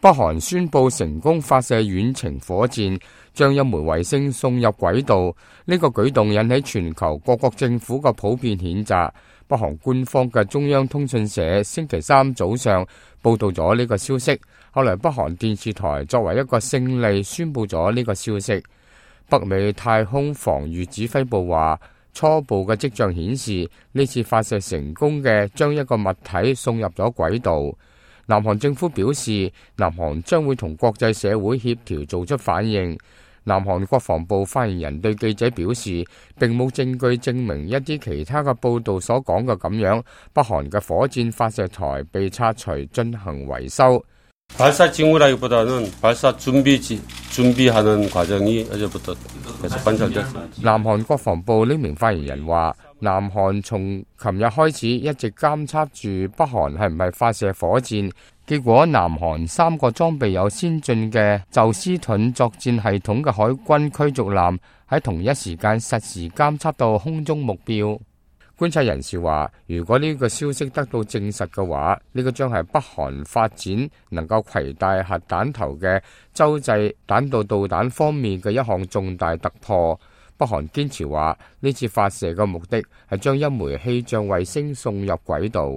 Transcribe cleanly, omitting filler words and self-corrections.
北韓宣布成功發射遠程火箭，將一枚衛星送入軌道。呢個舉動引起全球各國政府嘅普遍譴責。北韓官方嘅中央通訊社星期三早上報道咗呢個消息，後來北韓電視台作為一個勝利宣布咗呢個消息。北美太空防禦指揮部話，初步嘅跡象顯示呢次發射成功嘅將一個物體送入咗軌道。南韓政府表示，南韓將會同國際社會協調做出反應。南韓國防部發言人對記者表示，並冇證據證明一啲其他嘅報道所講嘅咁樣，北韓嘅火箭發射台被拆除進行維修。南韓國防部呢名發言人話，南韓從琴日開始一直監測住北韓係唔係發射火箭，結果南韓3個裝備有先進嘅宙斯盾作戰系統嘅海軍驅逐艦喺同一時間實時監測到空中目標。觀察人士話，如果呢個消息得到證實嘅話，呢個將係北韓發展能夠攜帶核彈頭嘅洲際彈道導彈方面嘅一項重大突破。北韓堅持話，呢次發射嘅目的係將一枚氣象衛星送入軌道。